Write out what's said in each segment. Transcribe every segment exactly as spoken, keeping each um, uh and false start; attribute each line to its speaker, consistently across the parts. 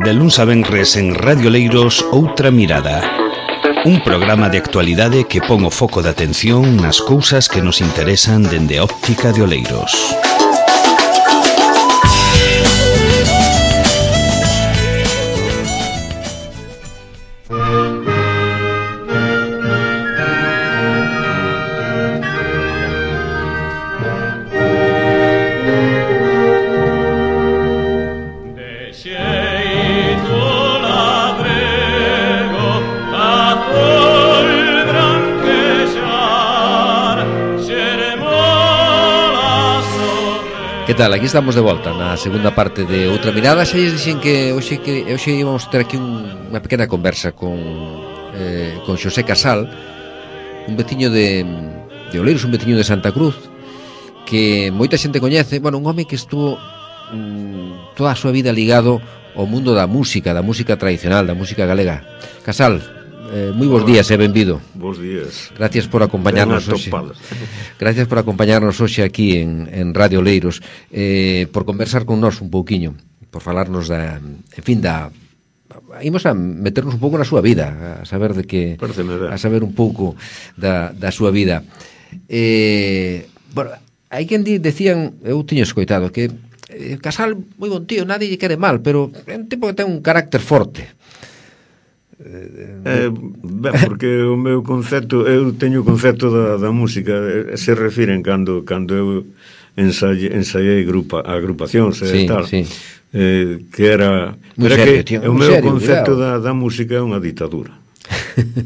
Speaker 1: De luns a venres en Radio Leiros, Outra Mirada. Un programa de actualidade que pon o foco de atención nas cousas que nos interesan dende a óptica de Oleiros.
Speaker 2: Que tal? Aquí estamos de volta na segunda parte de Outra Mirada. Xa lles dixen que hoxe, que hoxe íbamos ter aquí un, unha pequena conversa con, eh, con Xosé Casal, un veciño de, de Oleiros, un veciño de Santa Cruz, que moita xente coñece. Bueno, un home que estuvo mm, toda a súa vida ligado ao mundo da música, da música tradicional, da música galega. Casal, eh, moi bons días e benvido.
Speaker 3: Bos días.
Speaker 2: Gracias por acompañarnos hoxe. Gracias por acompañarnos hoxe aquí en, en Radio Leiros, eh, por conversar con nós un pouquiño, por falarnos da, en fin, da imos a meternos un pouco na súa vida, a saber de que a saber un pouco da, da súa vida. Eh, bueno, hai quen di, decían, eu tiño escoitado que eh, Casal moi bon tío, nadie lle quere mal, pero é un tipo que ten un carácter forte.
Speaker 3: Eh, ben, porque o meu concepto, eu teño o concepto da, da música, se refiren cando cando eu ensaiei, ensaiei grupa, agrupacións e sí, tal, sí. Eh, que era,
Speaker 2: muy
Speaker 3: era
Speaker 2: serio,
Speaker 3: que
Speaker 2: tío,
Speaker 3: o meu
Speaker 2: serio,
Speaker 3: concepto da, da música é unha ditadura.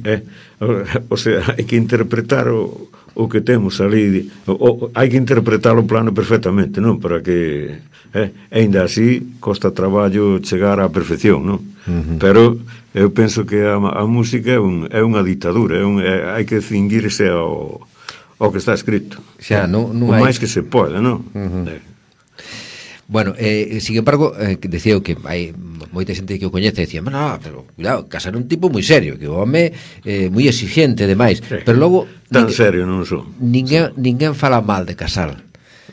Speaker 3: eh, o, o sea, hai que interpretar o, o que temos ali, o, o, hai que interpretar o plano perfectamente, non? Para que eh, ainda así costa traballo chegar á perfección, non? Uh-huh. Pero eu penso que a, a música é, un, é unha ditadura, é un, é, hai que cinguirse ao, ao que está escrito,
Speaker 2: xa, non, non
Speaker 3: o
Speaker 2: hai...
Speaker 3: máis que se pode, non? Uh-huh. Eh.
Speaker 2: Bueno, eh, sin embargo, eh, decía que hai moita xente que o coñece e decía, no, pero cuidado, Casal é un tipo moi serio, que o home é eh, moi exigente demais, sí. Pero logo
Speaker 3: tan ninguén, serio non son.
Speaker 2: Ninguén, sí. ninguén fala mal de Casal.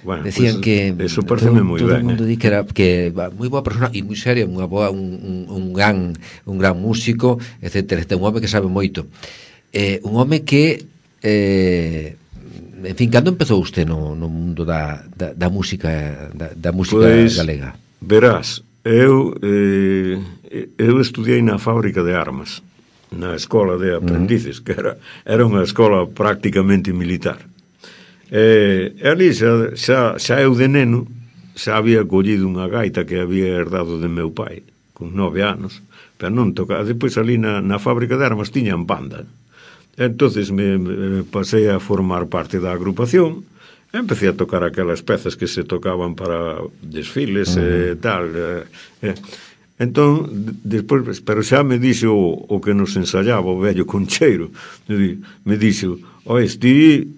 Speaker 2: Bueno, decían pues, que
Speaker 3: eso pareceme moi ben.
Speaker 2: Todo o mundo
Speaker 3: eh.
Speaker 2: di que era que moi boa persona e moi serio, unha boa un, un, un gran un gran músico, etcétera, un home que sabe moito. Eh, un home que eh en fin, cando empezou usted no, no mundo da, da, da música da, da música pues, galega?
Speaker 3: Verás, eu eh, eu estudiei na fábrica de armas, na escola de aprendices, uh-huh. que era, era unha escola prácticamente militar. E, e ali xa, xa, xa eu de neno xa había collido unha gaita que había herdado de meu pai con nove anos, pero non tocaba. Depois ali na, na fábrica de armas tiñan banda. Entonces me, me pasei a formar parte da agrupación e empecé a tocar aquelas pezas que se tocaban para desfiles uh-huh. e tal e, e, entón despois, pero xa me dixo o, o que nos ensayaba o vello Concheiro, me, me dixo, oe, ti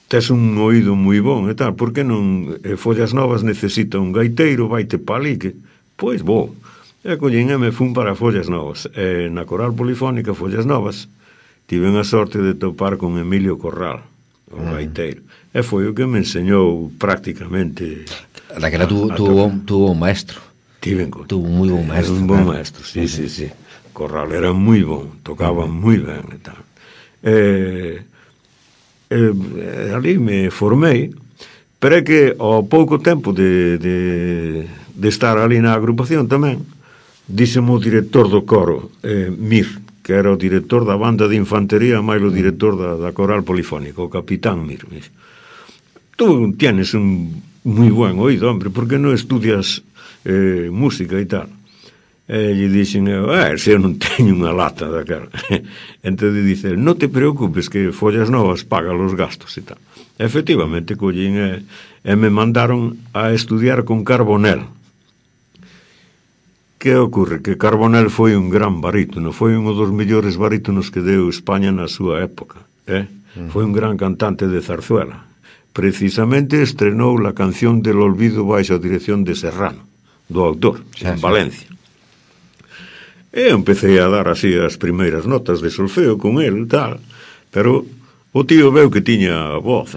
Speaker 3: tes un oído moi bon e tal, por que non eh, Follas Novas necesita un gaiteiro, vaite pa ali que, pois vou, e collín e me fun para Follas Novas, e na Coral Polifónica Follas Novas tive a sorte de topar con Emilio Corral, o uh-huh. gaiteiro, e foi o que me enseñou prácticamente.
Speaker 2: Daquela tu, tuvo, tuvo un maestro.
Speaker 3: Tiven,
Speaker 2: tuvo un moi bon maestro.
Speaker 3: Era un bon maestro, sí, uh-huh. sí, sí. Corral era moi bon, tocaba uh-huh. moi ben e tal. E, e ali me formei, pero é que ao pouco tempo de, de, de estar ali na agrupación tamén, díxeme o director do coro, eh, Mir, que era o director da banda de infantería máis o director da, da Coral Polifónica, o capitán Mir. Tú tienes un moi buen oído, hombre, por que non estudias eh, música e tal? E lle dixen, eh, se eu non teño unha lata daquela. Entón dice, non te preocupes que Follas Novas paga los gastos e tal. Efectivamente, collín e, e me mandaron a estudiar con Carbonell. Que ocorre? Que Carbonell foi un gran barítono, foi un dos mellores barítonos que deu España na súa época, eh? Uh-huh. Foi un gran cantante de zarzuela. Precisamente estrenou la canción del olvido baixo a dirección de Serrano, do autor, sí, en sí. Valencia. E empecé a dar así as primeiras notas de solfeo con el, tal, pero o tío veu que tiña voz,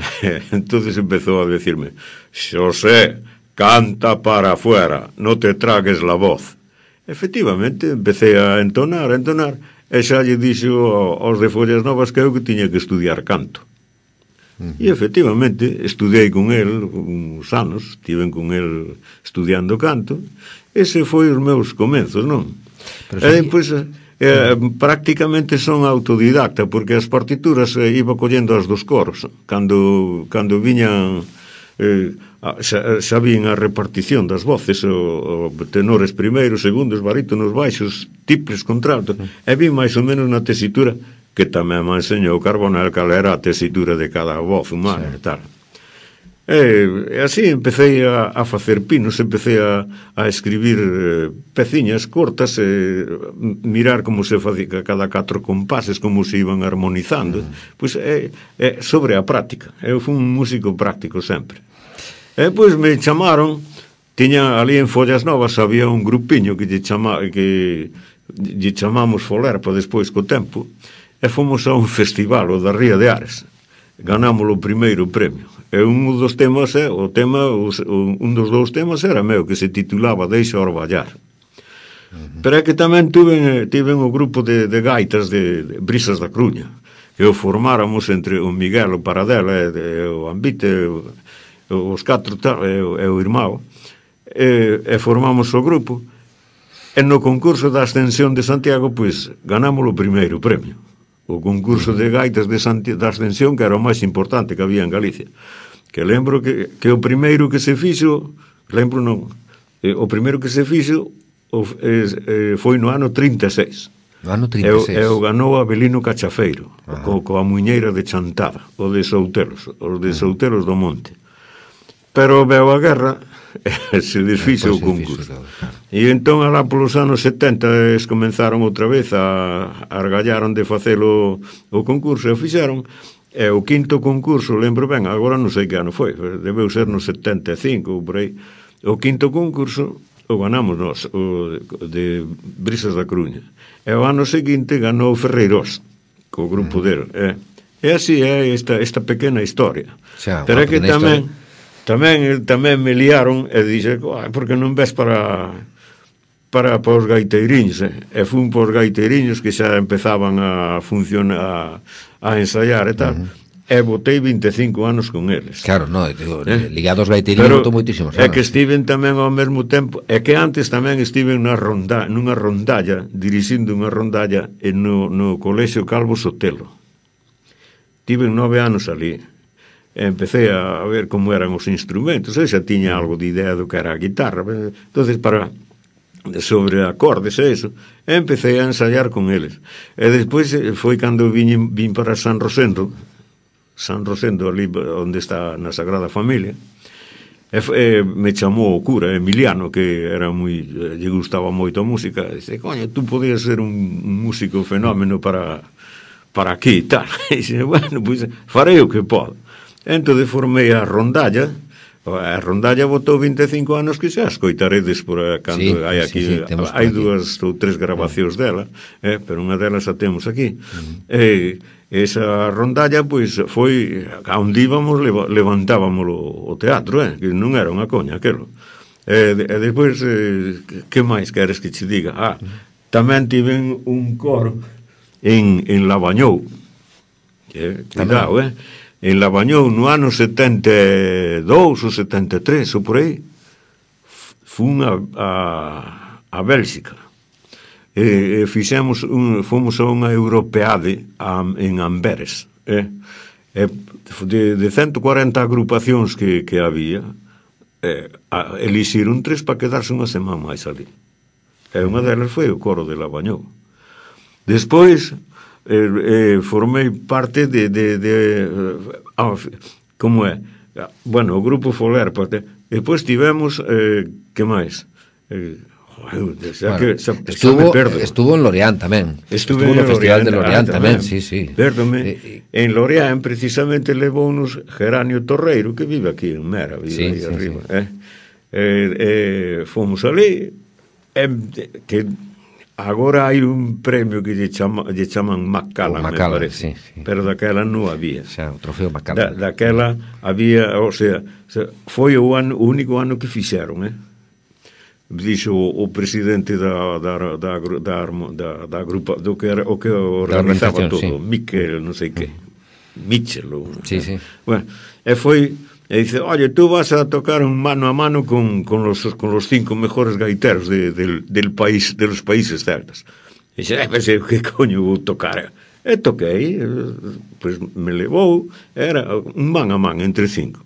Speaker 3: entonces empezou a decirme, Xosé, canta para afuera, no te tragues la voz. efectivamente, empecé a entonar, a entonar, e xa lle dixo aos de Follas Novas que eu que tiña que estudiar canto. Uh-huh. E efectivamente, estudei con el uns anos, estiven con el estudiando canto, ese foi os meus comenzos, non? Pero e depois, eh, prácticamente son autodidacta, porque as partituras eh, iba collendo as dos coros, cando, cando viñan... Eh, xa, xa vin a repartición das voces, o, o tenores primeiros, segundos, barítonos, baixos, tiples, contraltos, e vi máis ou menos na tesitura que tamén me enseñou Carbonell cal era a tesitura de cada voz humana e tal. E, e así empecé a, a facer pinos, empecé a, a escribir eh, peciñas cortas, eh, mirar como se facía cada catro compases, como se iban armonizando, mm. pois é, é sobre a práctica. Eu fui un músico práctico sempre. E pois me chamaron, tiña ali en Follas Novas había un grupiño que lle, chama, que lle chamamos Folerpa despois co tempo, e fomos a un festival, o da Ría de Ares. Ganamos o primeiro premio. E un dos temas, o tema, un dos dous temas era meu, que se titulaba Deixa orballar. Uh-huh. Pero é que tamén tuve, tive un grupo de, de gaitas de, de Brisas da Cruña, que o formáramos entre o Miguel, o Paradela, e, e o Ambite, o, os catro e o, e o irmão, e, e formamos o grupo, e no concurso da Ascensión de Santiago, pois, ganamos o primeiro premio. O concurso de gaitas de Santi, da Ascensión, que era o máis importante que había en Galicia. Que lembro que, que o primeiro que se fixo, lembro non, eh, o primeiro que se fixo o, eh, foi no ano trinta e seis.
Speaker 2: No ano trinta e seis.
Speaker 3: E o ganou Abelino Cachafeiro, co, coa muñeira de Chantada, o de Soutelos, os de Soutelos do Monte. Pero veo a guerra e se desfixo o concurso. E entón, alá polos anos setenta, es comenzaron outra vez a, a argallaron de facelo o concurso, e o fixeron, e o quinto concurso, lembro ben, agora non sei que ano foi, debeu ser no setenta e cinco ou por aí, o quinto concurso o ganamos nós, o de Brisas da Cruña, e o ano seguinte ganou Ferreirós, co grupo dele, e, e así é esta, esta pequena historia.
Speaker 2: Xa,
Speaker 3: pero é que tamén historia. Tamén, tamén me liaron e dixe, porque non ves para para, para os gaiteiriños, eh? E fun para os gaiteiriños que xa empezaban a funcionar, a, a ensaiar e tal, uh-huh. E botei vinte e cinco anos con eles.
Speaker 2: Claro, no, digo, eh? Ligados aos gaiteiriños botou moitísimos anos.
Speaker 3: É que estiven tamén ao mesmo tempo, é que antes tamén estiven na ronda, nunha rondalla, dirixindo unha rondalla no, no Colexio Calvo Sotelo. Tiven nove anos ali. Empecé a ver como eran os instrumentos, e xa tiña algo de idea do que era a guitarra, entonces para sobre acordes e eso, e empecé a ensayar con eles, e despois foi cando vin, vin para San Rosendo, San Rosendo ali onde está na Sagrada Familia, e, e me chamou o cura Emiliano, que era moi, lle gustaba moito a música, e disse, coño, tú podías ser un, un músico fenómeno para para aquí e tal, e disse, bueno, pois farei o que podo. Entón formei a rondalla, a rondalla botou vinte e cinco anos que xa escoitaredes por cando sí, hai aquí, sí, sí, hai dúas ou tres grabacións sí. dela, eh, pero unha delas a temos aquí. Uh-huh. E esa rondalla, pois, foi, a onde íbamos, levantábamos o, o teatro, eh, que non era unha coña aquelo. E, e despois, eh, que máis queres que che diga? Ah, tamén tiven un coro en, en Lavañou, eh, cuidado, eh, en Lavañou no ano setenta e dous ou setenta e tres ou por aí, fun a, a, a Bélxica e, e fixemos un, fomos a unha europeade a, en Amberes, eh? E de, de ciento cuarenta agrupacións que, que había, eh, a, elixiron tres para quedarse unha semana máis ali, e unha delas foi o coro de Lavañou. Despois Eh, eh, formei parte de, de, de ah, como é, bueno, o grupo Folerpa, depois tivemos eh, que máis eh, xa
Speaker 2: bueno,
Speaker 3: que, xa,
Speaker 2: estuvo,
Speaker 3: xa
Speaker 2: estuvo en Lorient tamén
Speaker 3: estuvo,
Speaker 2: estuvo no Festival
Speaker 3: Lorient,
Speaker 2: de Lorient
Speaker 3: ah,
Speaker 2: tamén,
Speaker 3: tamén,
Speaker 2: sí, sí.
Speaker 3: Pérdome,
Speaker 2: eh,
Speaker 3: en Lorient precisamente levounos Geranio Torreiro, que vive aquí en Mera, vive
Speaker 2: sí,
Speaker 3: aí
Speaker 2: sí,
Speaker 3: arriba,
Speaker 2: sí.
Speaker 3: Eh? Eh, eh, fomos ali, eh, que agora hai un premio que lle, chama, lle chaman Macallan, me parece,
Speaker 2: sí, sí.
Speaker 3: Pero daquela non había.
Speaker 2: Xa, o trofeo Macallan.
Speaker 3: Da, daquela había, o sea, foi o, ano, o único ano que fixeron, eh? dixo o, o presidente da da da da, da, da grupa do que era o que organizaba todo, sí. Miquel, non sei que. Michel, ou,
Speaker 2: sí, sí.
Speaker 3: Bueno, e foi e dice, oye, tú vas a tocar un mano a mano con, con, los, con los cinco mejores gaiteros de, del, del país, de los países celtas. E dice, eh, pensei, que coño vou tocar? E toquei, pois me levou, era un man a man entre cinco.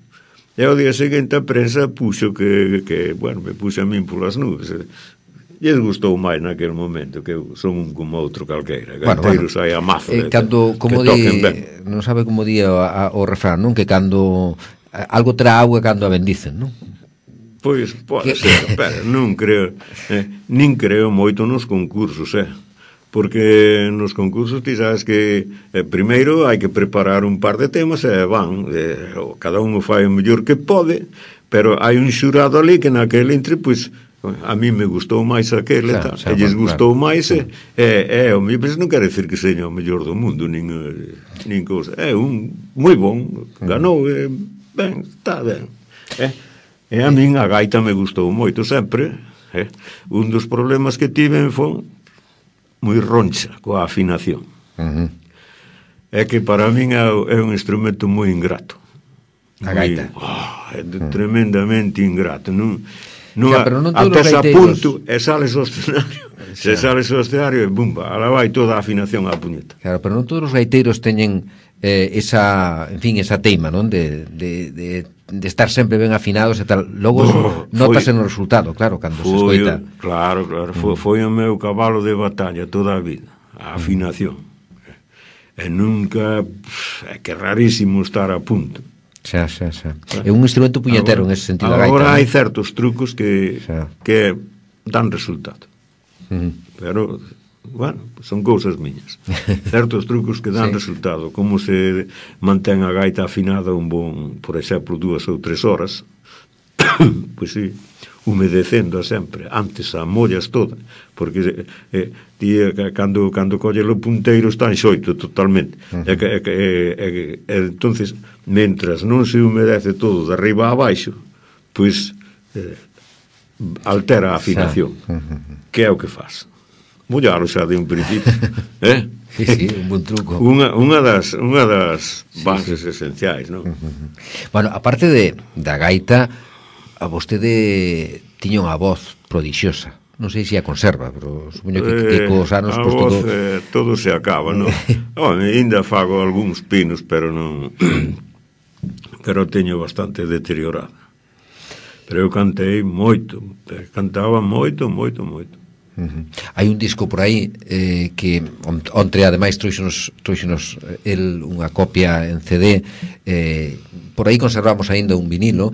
Speaker 3: E ao día seguinte a prensa puxo que, que bueno, me puxo a min polas nubes. E lles gustou máis naquele momento, que eu son un como outro calqueira. Gaiteiros bueno, bueno. hai a mazo
Speaker 2: eh, cando, como
Speaker 3: que
Speaker 2: di,
Speaker 3: toquen ben.
Speaker 2: Non sabe como di o, a, o refrán, non? Que cando algo terá agua cando a bendicen, non?
Speaker 3: Pois, pode ser, pero non creo, eh, nin creo moito nos concursos, eh? Porque nos concursos ti sabes que eh, primeiro hai que preparar un par de temas e van, eh, cada un o fai o mellor que pode, pero hai un xurado ali que naquele entre, pois, a mí me gustou máis aquele, claro, e lles gustou claro. máis, e, e, e o mío, non quer decir que seña o mellor do mundo, nin, nin cousa, é un moi bon, ganou, e, ben, está ben, e, e a min a gaita me gustou moito sempre, e, un dos problemas que tiven foi moi roncha coa afinación, uh-huh. é que para min é, é un instrumento moi ingrato,
Speaker 2: a gaita,
Speaker 3: moi, oh, é uh-huh. tremendamente ingrato, non... No,
Speaker 2: xa, pero non todos
Speaker 3: até
Speaker 2: os gaiteiros...
Speaker 3: punto, e sales ao escenario, se sales ao escenario, e bumba, ala vai toda a afinación á puñeta.
Speaker 2: Claro, pero non todos os gaiteiros teñen eh, esa, en fin, esa teima, non? De, de, de, de estar sempre ben afinados e tal. Logo oh, notase no resultado, claro, cando se escoita.
Speaker 3: Claro, claro, foi, foi o meu cabalo de batalla toda a vida, a afinación. Mm. E nunca, é que é rarísimo estar a punto.
Speaker 2: Xa, xa, xa. É un instrumento puñetero en ese sentido.
Speaker 3: Agora
Speaker 2: gaita,
Speaker 3: hai ¿no? certos trucos que xa. que dan resultado. Uh-huh. Pero, bueno, son cousas miñas. Certos trucos que dan sí. resultado, como se mantén a gaita afinada un bon, por exemplo, dúas ou tres horas, pois sí, humedecendo sempre, antes a mollas toda, porque eh, ti, cando, cando colle o punteiro está en xoito totalmente, uh-huh. e, e, e, e, e entonces, mentras non se humedece todo de arriba a baixo, pois eh, altera a afinación, uh-huh. que é o que faz. Mollalo xa de un principio, eh?
Speaker 2: Sí, sí, un bon truco.
Speaker 3: Unha, unha das, unha das bases sí, sí. esenciais, non?
Speaker 2: Uh-huh. Bueno, aparte de, da gaita, a vostede tiña unha voz prodixiosa. Non sei se a conserva, pero supoño que, eh, que cos anos...
Speaker 3: A pues, voz, todo... Eh, todo se acaba, non? Oh, ainda fago algúns pinos, pero non... pero teño bastante deteriorada. Pero eu cantei moito, cantaba moito, moito, moito.
Speaker 2: Uh-huh. Hai un disco por aí eh, que ontre ademais trouxenos, trouxenos el unha copia en C D, eh, por aí conservamos aínda un vinilo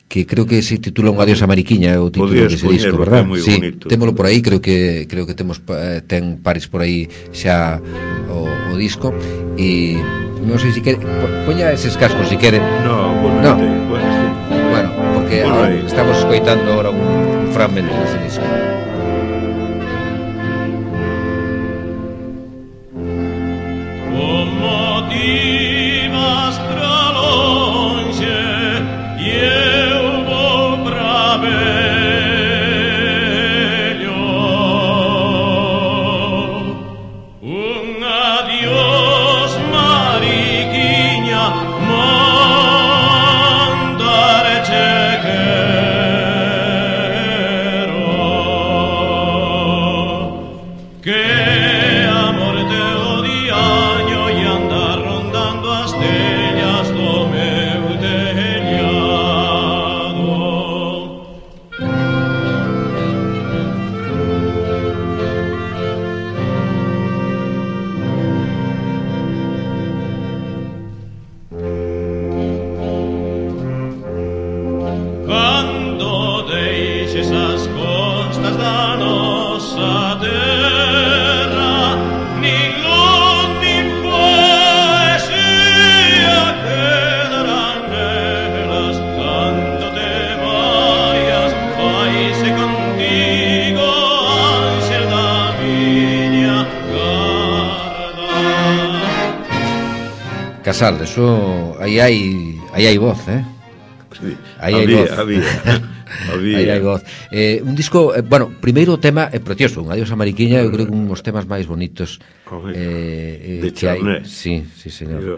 Speaker 2: que creo que se titula Un adiós a Mariquiña, é o título
Speaker 3: Podías
Speaker 2: dese disco, verdad?
Speaker 3: Sí,
Speaker 2: bonito. Témolo por aí, creo que creo que temos eh, ten pares por aí xa o, o disco e non sei se quere poña eses cascos se quere.
Speaker 3: No, bueno,
Speaker 2: no.
Speaker 3: Te, bueno, sí.
Speaker 2: bueno, porque bueno, ahora, estamos escoitando ahora un fragmento dese disco.
Speaker 4: Como ti vas pra longe e eu vou pra velho, un adiós Mariquiña, mandarte quero, que amor te odia e anda rondando as tellas do meu telhado. Cando deixes as costas da nosa terra, ningún nin poesía quedarán nelas. Cando te vayas, faise contigo, ángel da miña garda.
Speaker 2: Casal, eso aí hai aí hai voz, eh?
Speaker 3: Sí,
Speaker 2: Aí hai
Speaker 3: había,
Speaker 2: voz.
Speaker 3: había. había.
Speaker 2: Aí hai voz. Eh, un disco, eh, bueno, primeiro o tema é precioso, un Adiós a Mariquiña, eu creo que un dos temas máis bonitos eh, eh,
Speaker 3: de
Speaker 2: que hai.
Speaker 3: Charné.
Speaker 2: Sí, sí, señor.
Speaker 3: Yo.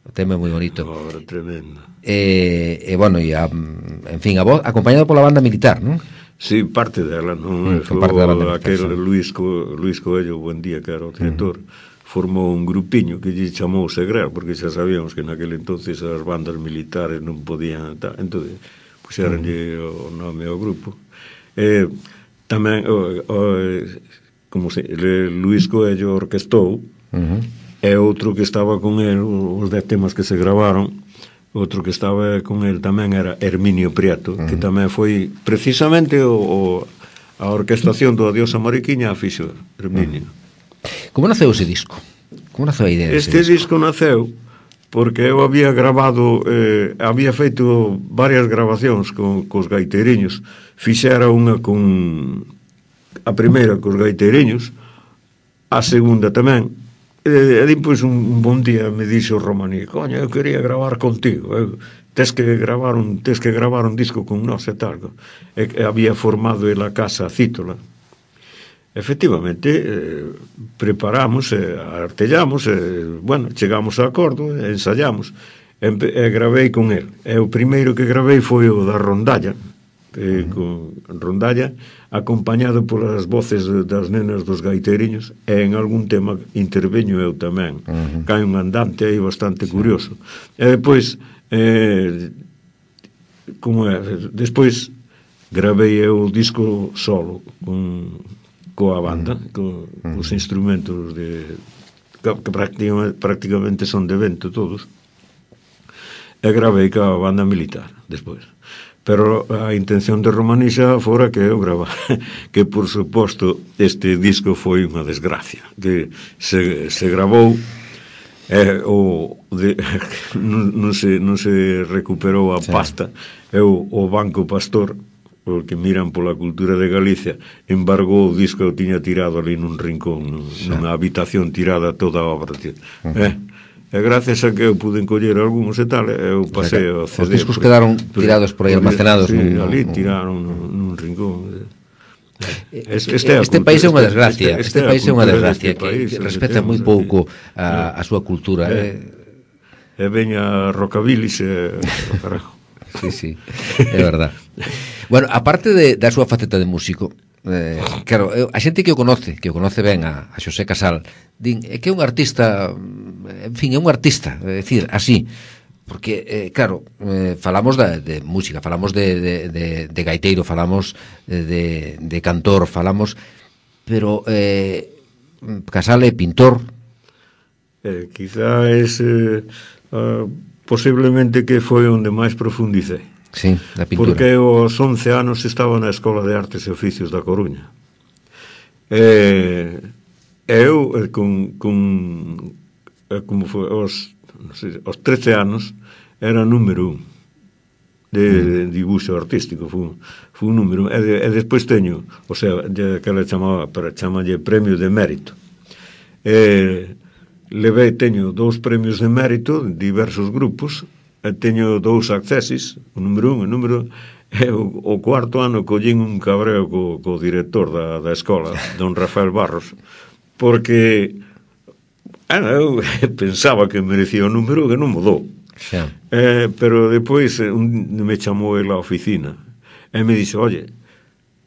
Speaker 2: O tema é moi bonito.
Speaker 3: Obra tremenda.
Speaker 2: E, eh, eh, bueno, e a, en fin, a voz acompañado pola banda militar, non?
Speaker 3: Sí, parte dela, non?
Speaker 2: Mm, parte da banda militar,
Speaker 3: aquel
Speaker 2: sí.
Speaker 3: Luis, Co, Luis Coello, buen día, que era o director, mm. formou un grupiño que lle chamou Segral, porque xa sabíamos que naquele entonces as bandas militares non podían tal, entón puxeronlle mm. o nome ao grupo. Eh, tamén o, o, como se le, Luis Coello orquestou,
Speaker 2: Uh-huh.
Speaker 3: e outro que estaba con el, os dez temas que se gravaron, outro que estaba con el tamén era Herminio Prieto, uh-huh. que tamén foi precisamente o, o, a orquestación do Adiós a Mariquiña a fixo Herminio.
Speaker 2: Uh-huh. Como naceu ese disco? Como naceu a idea dese
Speaker 3: Este
Speaker 2: disco?
Speaker 3: disco naceu porque eu había grabado, eh, había feito varias grabacións con, cos gaiteiriños. Fixera unha con a primeira cos gaiteiriños, a segunda tamén. E, e depois un, un bon día me dixo o Romaní, coño, eu quería gravar contigo, eu, tes que gravar un tes que gravar un disco con nós e tal. E, e había formado el a casa Cítola. Efectivamente, eh, preparamos, eh, artellamos, eh, bueno, chegamos a acordo, eh, ensayamos, e, e gravei con el. E o primeiro que gravei foi o da rondalla, eh, con rondalla, acompañado polas voces das nenas dos gaiteiriños, e en algún tema interveño eu tamén. Uh-huh. Cae un andante aí bastante sí. curioso. E depois, eh, como é, despois gravei eu o disco solo, con... coa banda, co, uh-huh. os instrumentos de que, que prácticamente, prácticamente son de vento todos, e gravei coa banda militar despois. Pero a intención de Romanixa fora que eu gravara, que por suposto este disco foi unha desgracia, que se, se gravou eh, o de, non, non, se, non se recuperou a sí. pasta, e o, o Banco Pastor, o que miran pola cultura de Galicia, embargou o disco, eu tiña tirado ali nun rincón, nun, sí. nunha habitación tirada toda a obra. Uh-huh. Eh, e gracias a que eu pude encoller algúns e tal, eu pasei o C D.
Speaker 2: Os discos porque, quedaron tirados por aí almacenados.
Speaker 3: Sí,
Speaker 2: nun,
Speaker 3: ali
Speaker 2: nun,
Speaker 3: tiraron nun, nun rincón.
Speaker 2: Este, este, este país é unha desgracia, este, este, este país é unha desgracia, que país, respeta moi pouco a, a súa cultura.
Speaker 3: E eh. eh, veña Rocabilis e o carajo.
Speaker 2: Sí, sí, é verdad. Bueno, aparte de, da súa faceta de músico, eh, claro, eu, a xente que o conoce, que o conoce ben a, a Xosé Casal, din, é que é un artista, en fin, é un artista, é dicir, así, porque, eh, claro, eh, falamos da, de música, falamos de, de, de, de gaiteiro, falamos de, de cantor, falamos, pero eh, Casal é pintor.
Speaker 3: Eh, quizá ese... Uh, posiblemente que foi onde máis profundicei.
Speaker 2: Sí, da pintura.
Speaker 3: Porque aos once anos estaba na Escola de Artes e Oficios da Coruña. E eu, con, con como foi, aos, non sei, aos trece anos, era número un de, de dibuixo artístico, foi, foi un número un. E, de, e despois teño, o sea, que ela chamaba, para chamalle premio de mérito. E levei, teño dous premios de mérito en diversos grupos, e teño dous accesis, o número un, o número e o, o cuarto ano collín un cabreo co, co director da, da escola, don Rafael Barros, porque ah, eu pensaba que merecía o número que non mudou.
Speaker 2: Xa.
Speaker 3: Eh, pero depois un, me chamou ele á oficina e me dixo, oye,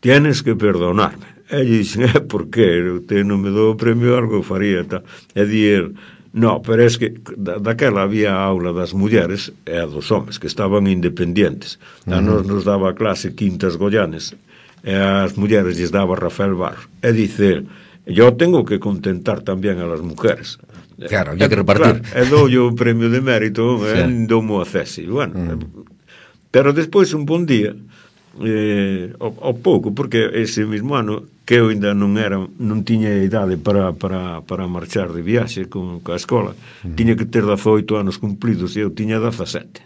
Speaker 3: tienes que perdonarme. E dixen, eh, por que? Te non me dou o premio, algo faría, tal. E di el, no, pero es que da, daquela había a aula das mulleres e a dos homes, que estaban independientes. A nos nos daba clase Quintas Goyanes, e as mulleres lles daba Rafael Barros. E dice el, yo tengo que contentar tamén a las mujeres.
Speaker 2: Claro, había que repartir.
Speaker 3: Claro, e dou o premio de mérito, sí. E doumo a cesi. Bueno, mm. Pero despois un bon día, eh, ao, ao pouco, porque ese mismo ano que eu ainda non era, non tiña idade para, para, para marchar de viaxe con, con a escola, mm. tiña que ter dezaoito anos cumplidos e eu tiña dezasete.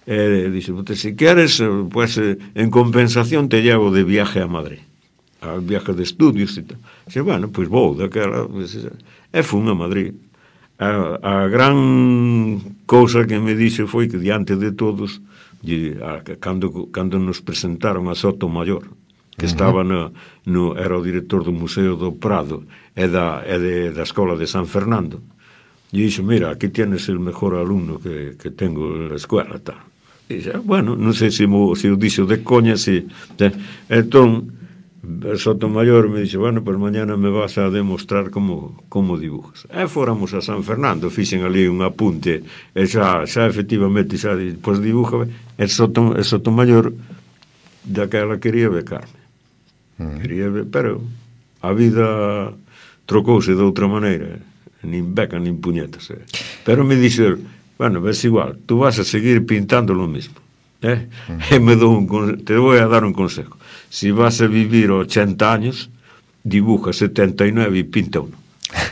Speaker 3: E dixo, se queres, pues, en compensación te llevo de viaje a Madrid, a viaje de estudios e tal. Xe, bueno, pois pues vou daquela, pues, e fun a Madrid. A, a gran cousa que me dixo foi que diante de todos e, a, cando, cando nos presentaron a Sotomayor, que estaba no, no, era o director do Museo do Prado e da, e de, da Escola de San Fernando, e dixo, mira, aquí tienes el mejor alumno que, que tengo en la escuela, tal. E dixo, bueno, non sei se, mo, se o dixo de coña, se, se, entón Sotomayor me dixo, bueno, pues mañana me vas a demostrar como, como dibujas. E fóramos a San Fernando, fixen ali un apunte, e xa, xa efectivamente, xa, pois dibuja, e Sotom, Sotomayor daquela quería becarme. Quería, pero a vida trocouse de outra maneira, nin beca nin puñetas, eh. Pero me dixo, bueno, ves igual, tú vas a seguir pintando lo mismo, eh? Uh-huh. E me dou un, te voy a dar un consejo, si vas a vivir ochenta años, dibuja setenta y nueve y pinta uno.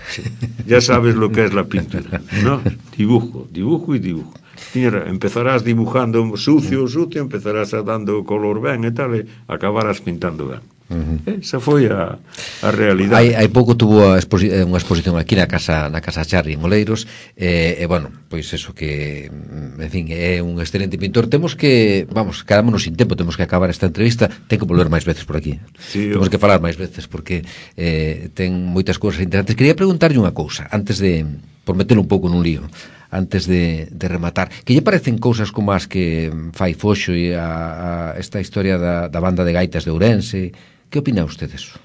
Speaker 3: Sí. Ya sabes lo que es la pintura, ¿no? Dibujo, dibujo y dibujo. Mira, empezarás dibujando sucio, sucio, empezarás a dando color ben e tal, e acabarás pintando ben. Uh-huh. Esa foi a, a realidade.
Speaker 2: Hai, hai pouco tuvo a exposi unha exposición aquí na casa na casa Charri en Oleiros, e, e bueno, pois eso que, en fin, é un excelente pintor. Temos que, vamos, quedámonos sin tempo, temos que acabar esta entrevista, ten que volver máis veces por aquí.
Speaker 3: Sí,
Speaker 2: temos que falar máis veces porque eh, ten moitas cousas interesantes. Quería preguntarlle unha cousa antes de, por metelo un pouco nun lío, antes de, de rematar, que lle parecen cousas como as que fai Foxo e a, a esta historia da, da banda de gaitas de Ourense? Que opina usted eso?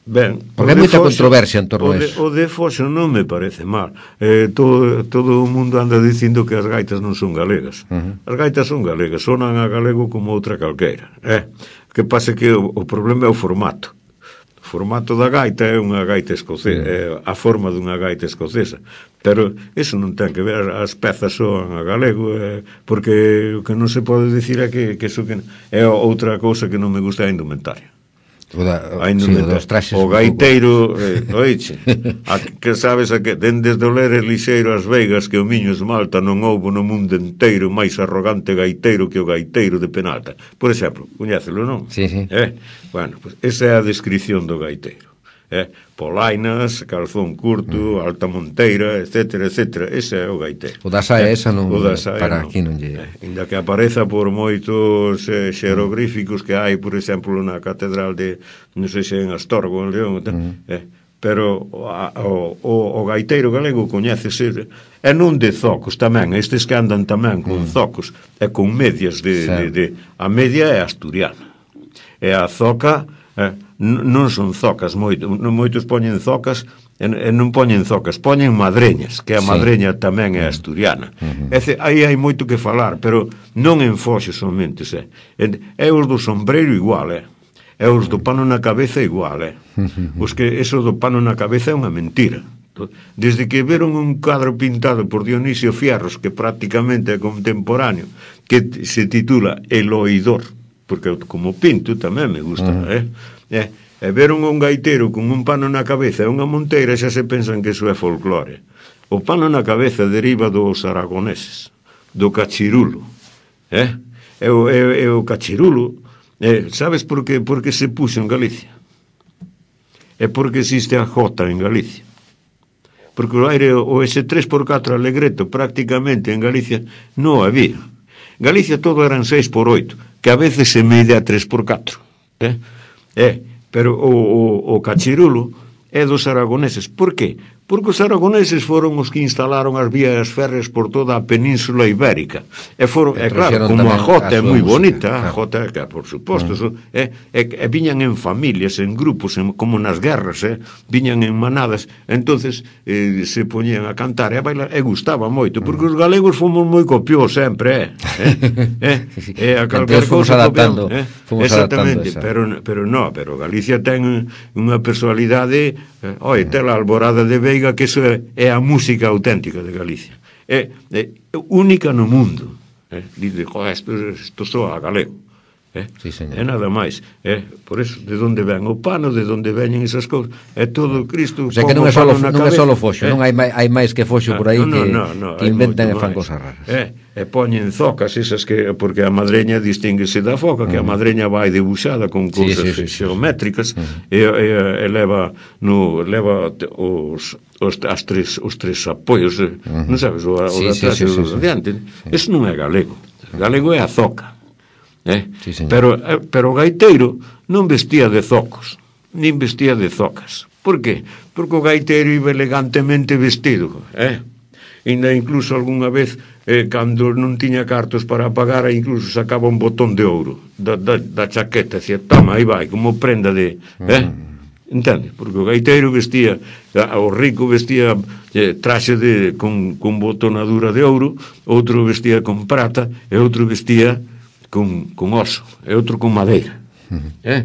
Speaker 3: Ben,
Speaker 2: porque hai moita controversia en torno
Speaker 3: a
Speaker 2: eso.
Speaker 3: O de Foxo non me parece mal. Eh, todo, todo o mundo anda dicindo que as gaitas non son galegas. Uh-huh. As gaitas son galegas, sonan a galego como outra calqueira. Eh? Que pasa que o, o problema é o formato. O formato da gaita é unha gaita escocesa, uh-huh. é a forma dunha gaita escocesa. Pero eso non ten que ver, as pezas soan a galego, eh, porque o que non se pode dicir é que, que eso que é outra cousa que non me gusta a indumentaria.
Speaker 2: O, da,
Speaker 3: a indumentaria. Sí, o, o gaiteiro, eh, oiche, a, que sabes a que desde o Leres Lixeiro as Veigas que o miño esmalta non houbo no mundo inteiro máis arrogante gaiteiro que o gaiteiro de Penalta. Por exemplo, coñécelo, non?
Speaker 2: Sí, sí.
Speaker 3: Eh? Bueno, pues esa é a descripción do gaiteiro. Eh, polainas, calzón curto, mm. alta monteira, etcétera, etcétera. Ese é o gaiteiro.
Speaker 2: O da saia eh, esa non,
Speaker 3: saia,
Speaker 2: para
Speaker 3: non.
Speaker 2: aquí non lle...
Speaker 3: Eh, inda que apareza por moitos eh, xerogríficos que hai, por exemplo, na catedral de, non sei se en Astorgo, en León, mm. eh, pero a, o, o, o gaiteiro galego coñécese, e non de zocos tamén, estes que andan tamén con mm. zocos, e con medias de, de, de... A media é asturiana. E a zoca... Eh, non son zocas, moito, moitos poñen zocas e, e non poñen zocas, poñen madreñas, que a sí. madreña tamén é asturiana. Uh-huh. É, aí hai moito que falar, pero non en Foxo somente, é, é os do sombreiro igual, é, é os do pano na cabeza igual, é. Os que eso do pano na cabeza é unha mentira. Desde que veron un cadro pintado por Dionisio Fierros, que prácticamente é contemporáneo, que se titula El Oidor, porque como pinto tamén me gusta, uh-huh. eh? Eh, e veron un gaiteiro con un pano na cabeza e unha monteira, xa se pensan que iso é folclore. O pano na cabeza deriva dos aragoneses, do cachirulo, eh? E o, e, e o cachirulo, eh, sabes por que, por que se puxo en Galicia? É porque existe a jota en Galicia. Porque o aire, o ese tres por catro alegreto, prácticamente en Galicia non había. Galicia todo eran seis por oito, que a veces se mede a tres por catro, eh? É, pero o, o, o cachirulo é dos aragoneses. Por que? Porque os aragoneses foron os que instalaron as vías férreas por toda a península ibérica. E foron, é claro, como a jota é moi bonita, a jota, que, por suposto, uh-huh. é, é, é, viñan en familias, en grupos, en, como nas guerras, é, viñan en manadas, entonces eh, se poñían a cantar e a bailar, e gustaba moito, porque os galegos fomos moi copiós sempre, é, é, é, a calquer cousa
Speaker 2: adaptando,
Speaker 3: copión, é,
Speaker 2: fomos
Speaker 3: exactamente,
Speaker 2: adaptando
Speaker 3: pero, pero no, pero Galicia ten unha personalidade, eh, oi, tela alborada de Veiga, que iso é, é a música auténtica de Galicia, é, é única no mundo, eh? Dice, joder, isto, isto soa galego, eh?
Speaker 2: Sí,
Speaker 3: é nada máis, eh? Por eso, de onde ven o pano, de onde veñen esas cousas, é todo Cristo.
Speaker 2: O sea que non é solo, non é solo Foxo, eh? Non hai, hai máis que Foxo por aí no, que, no, no, que inventan e fan cosas raras.
Speaker 3: Eh? E poñen zocas esas que, porque a madreña distínguese da foca, que uh-huh. a madreña vai debuxada con cousas sí, sí, sí, xeométricas, uh-huh. e, e, e leva no leva os os as tres os tres apoios, uh-huh. non sabes, o, o sí, de atrás sí, sí, e o sí, de adiante. Sí. Eso non é galego. Galego é a zoca. Eh?
Speaker 2: Sí, señor.
Speaker 3: pero, pero o gaiteiro non vestía de zocos, nin vestía de zocas. Por qué? Porque o gaiteiro iba elegantemente vestido. Eh? Ainda incluso algunha vez, eh, cando non tiña cartos para pagar, incluso sacaba un botón de ouro da, da, da chaqueta, e dicía, toma, aí vai, como prenda de... Eh? Mm. Entende? Porque o gaiteiro vestía, o rico vestía eh, traxe de, con, con botonadura de ouro, outro vestía con prata, e outro vestía con, con oso, e outro con madeira. Uh-huh. Eh?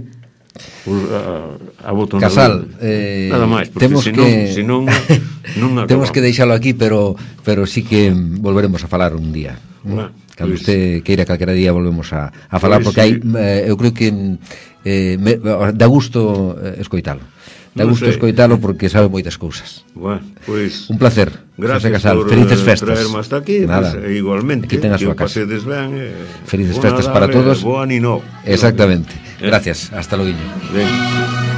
Speaker 3: A, a botonadura.
Speaker 2: Casal, eh,
Speaker 3: nada máis, porque
Speaker 2: temos
Speaker 3: senón,
Speaker 2: que
Speaker 3: senón, non
Speaker 2: temos que deixalo aquí, pero pero sí que volveremos a falar un día.
Speaker 3: Bueno,
Speaker 2: cando
Speaker 3: pues,
Speaker 2: usted queira calquera día volvemos a, a falar,
Speaker 3: pues,
Speaker 2: porque hai,
Speaker 3: sí.
Speaker 2: eh, eu creo que eh, me, dá gusto eh, escoitalo. Dá
Speaker 3: Non
Speaker 2: gusto
Speaker 3: sei.
Speaker 2: escoitalo porque sabe moitas cousas.
Speaker 3: Bueno, pues,
Speaker 2: un placer.
Speaker 3: Gracias
Speaker 2: Casal.
Speaker 3: por
Speaker 2: Felices festas.
Speaker 3: traerme hasta aquí.
Speaker 2: Nada.
Speaker 3: Pues, igualmente.
Speaker 2: Aquí ten a
Speaker 3: que
Speaker 2: súa
Speaker 3: o
Speaker 2: casa.
Speaker 3: pasedes ben. Eh,
Speaker 2: Felices
Speaker 3: bo
Speaker 2: festas
Speaker 3: Nadal,
Speaker 2: para todos.
Speaker 3: Bo ano novo.
Speaker 2: Exactamente.
Speaker 3: Eh.
Speaker 2: Gracias. Hasta logo.
Speaker 3: Ben.